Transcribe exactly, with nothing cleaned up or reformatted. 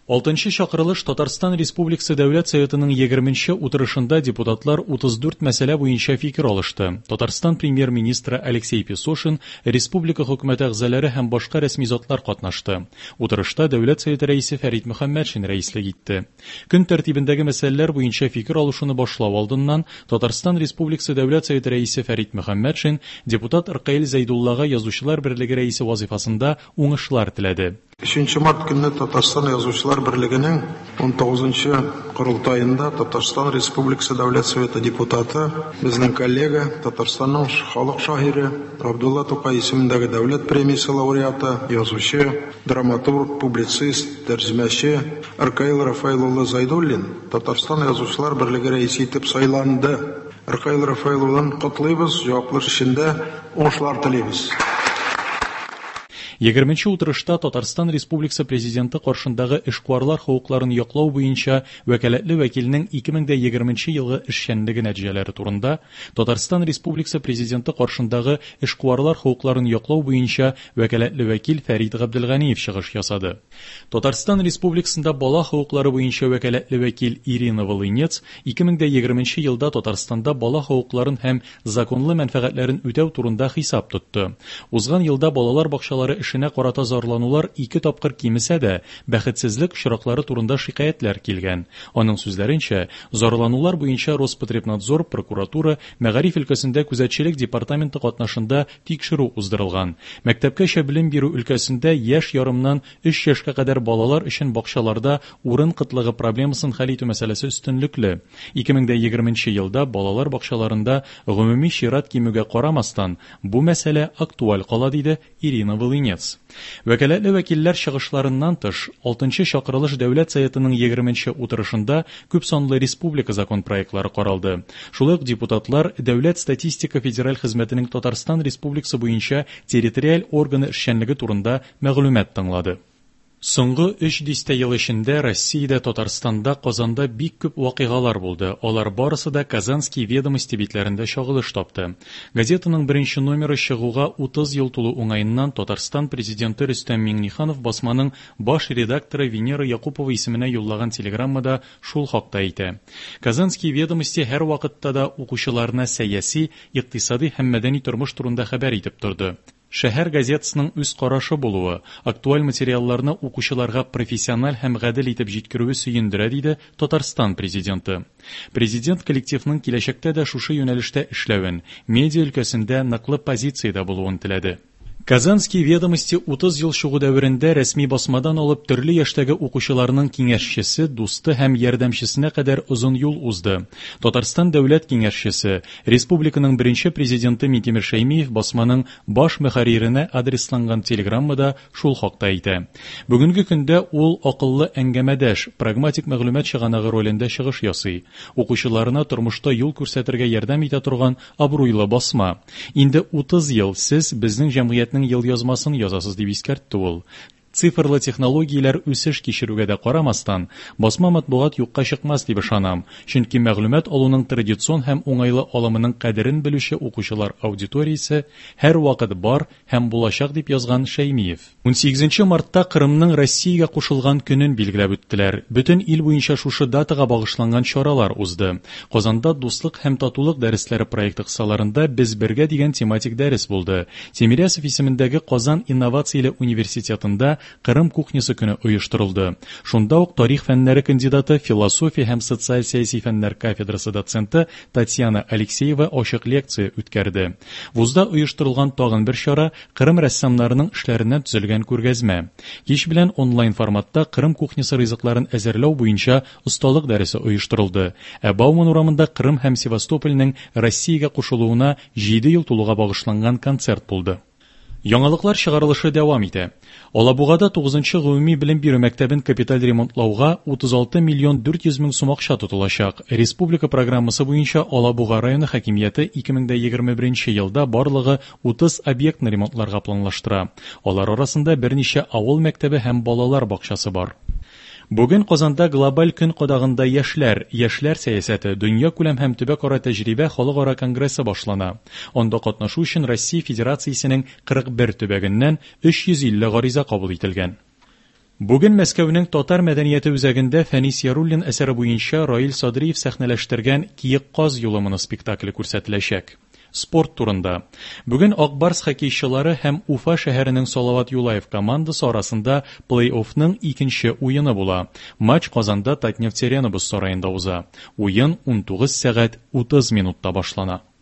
Алтынчы чакырылыш Татарстан Республикасы Дәүләт Советының егерменче утырышында депутатлар утыз дүрт мәсьәлә буенча фикер алышты. Татарстан премьер-министры Алексей Песошин, республика хөкүмәте әгъзалары һәм башка рәсми затлар катнашты. Утырышта Дәүләт Советы рәисе Фәрит Мөхәммәтшин рәислек итте. Көн тәртибендәге мәсьәләләр буенча фикер алышуны башлау алдыннан Татарстан Республикасы Дәүләт Советы рәисе Фәрит Мөхәммәтшин депутат Ркаил Зәйдуллага Язучылар берлеге рәисе вазифасында уңышлар теләде. Өченче март көнне Татарстан Язучылар берлегенең ун тугызынчы корылтаенда Татарстан Республикасы Дәүләт Советы депутаты, безнең коллега, Татарстанның халык шагыйре Габдулла Тукай исемендәге дәүләт премиясе лауреаты, язучы, драматург, публицист, тәрҗемәче Ркаил Рафаил улы Зайдуллин Татарстан Язучылар берлеге рәисе итеп сайланды. Ркаил Рафаил улын котлыйбыз, җаваплы эшендә уңышлар телибез. Егерменче утырышта Татарстан Республикасы Президенты каршындагы эшкуарлар хокукларын яклау буенча вәкаләтле вәкилнең ике мең дә егерменче елгы эшчәнлеге нәтиҗәләре турында Татарстан Республикасы Президенты каршындагы эшкуарлар хокукларын яклау буенча вәкаләтле вәкил Фәрит Габделганиев чыгыш ясады. Татарстан Республикасында бала хокуклары буенча вәкаләтле вәкил Ирина Волынец ике мең дә егерменче елда Татарстанда бала хокукларын һәм законлы мәнфәгатьләрен үтәү турында хисап тотты. Узган елда балалар бакчалары эшенә карата зарланулар ике тапкыр кимесә дә, бәхетсезлек очраклары турында шикаятьләр килгән. Аның сүзләренчә, зарланулар буенча Роспотребнадзор, прокуратура, мәгариф өлкәсендә күзәтчелек департаменты катнашында тикшерү уздырылган. Мәктәпкәчә белем бирү өлкәсендә яшь ярымнан өч яшькә кадәр балалар өчен бакчаларда урын кытлыгы проблемасын хәл итү мәсьәләсе өстенлекле. Ике мең дә егерменче елда балалар бакчаларында гомуми чират кимүгә карамастан, бу мәсьәлә актуаль кала, диде Ирина Волынец. Вәкаләтле вәкилләр чыгышларыннан тыш, алтынчы чакырылыш Дәүләт Советының егерменче утырышында күп санлы республика закон проектлары каралды. Шулай ук депутатлар Дәүләт статистика федераль хезмәтенең Татарстан Республикасы буенча территориаль органы эшчәнлеге турында мәгълүмат тыңлады. Соңгы өч дистә ел эчендә Россиядә, Татарстанда, Казанда бик күп вакыйгалар булды. Алар барысы да Казанские ведомости битләрендә чагылыш тапты. Газетаның беренче номеры чыгуга утыз ел тулу уңаеннан Татарстан президенты Рөстәм Миңнеханов басманың баш редакторы Венера Якупова исеменә юллаган телеграммада шул хакта әйтә. Казанские ведомости һәр вакытта да укучыларына сәяси, икътисади һәм мәдәни тормыш турында хәбәр итеп торды. Шәһәр газетасының үз карашы булуы, актуаль материалларны укучыларга профессиональ һәм гадел итеп җиткерүе сөендерә, диде Татарстан президенты. Президент коллективның киләчәктә дә шушы юнәлештә эшләвен, медиа өлкәсендә ныклы позициядә булуын теләде. Казанские ведомости утыз ел чыгу дәверендә рәсми басмадан алып төрле яшьтәге укучыларның киңәшчесе, дусты һәм ярдәмчесенә кадәр озын юл узды. Татарстан дәүләт киңәшчесе, республиканың беренче президенты Минтимер Шәймиев басманың баш мөхәрриренә адресланган телеграммада шул хакта әйтә. Бүгенге көндә ул акыллы әңгәмәдәш, прагматик мәгълүмат чыганагы ролендә чыгыш ясый. Укучыларына тормышта юл күрсәтергә ярдәм итә торган абруйлы басма. Инде утыз ел сез безнең җәмгыятьнең ел язмасын язасыз, дип искәртте ул. Цифрлы технологияләр үсеш кичерүгә дә карамастан, басма матбугат юкка чыкмас дип ышанам, чөнки мәгълүмат алуның традицион һәм уңайлы алымының кадерен белүче укучылар аудиториясе һәр вакыт бар һәм булачак, дип язган Шәймиев. Унсигезенче мартта Кырымның Россиягә кушылган көнен билгеләп үттеләр. Бөтен ил буенча шушы датага багышланган чаралар узды. Казанда Дуслык һәм татулык дәресләре проекты кысаларында Без бергә дигән тематик дәрес булды. Тимирясов исемендәге Казан инновацияле университетында Кырым кухнясы көне оештырылды. Шунда ук тарих фәннәре кандидаты, философия һәм социаль-сәяси фәннәр кафедрасы доценты Татьяна Алексеева ачык лекция үткәрде. Вузда оештырылган тагын бер чара Кырым рәссамнарының эшләреннән төзелгән күргәзмә. Кич белән онлайн форматта Кырым кухнясы ризыкларын әзерләү буенча осталык дәресе оештырылды. Ә Бауман урамында Кырым һәм Севастопольнең Россиягә кушылуына җиде ел тулуга багышланган концерт булды. Яңалыклар чыгарылышы дәвам итә. Алабугада тугызынчы гомуми белем бирү мәктәбен капиталь ремонтлауга утыз алты миллион дүрт йөз мең сум акча тотылачак. Республика программасы буенча Алабуга районы хакимияте ике мең дә егерме беренче елда барлыгы утыз объектны ремонтларга планлаштыра. Алар арасында берничә авыл мәктәбе һәм балалар бакчасы бар. Бүген Казанда глобаль көн кадагында яшьләр, яшьләр сәясәте, дөнья күләм һәм төбәкара тәҗрибә халыкара конгрессы башлана. Анда катнашу өчен Россия Федерациясенең кырык бер төбәгеннән өч йөз илле гариза кабул ителгән. Бүген Мәскәүнең Татар мәдәнияте үзәгендә Фәнис Яруллин әсәре буенча Раил Садриев сәхнәләштергән Киек каз юлы моноспектакле күрсәтеләчәк. Спорт турында. Бүген Ак Барс хоккейчылары һәм Уфа шәһәренең Салават Юлаев командасы арасында плей-оффның икенче уены була. Матч Казанда Татнефть-Арена боз сараенда уза. Уен унтугыз сәгать утыз минутта башлана.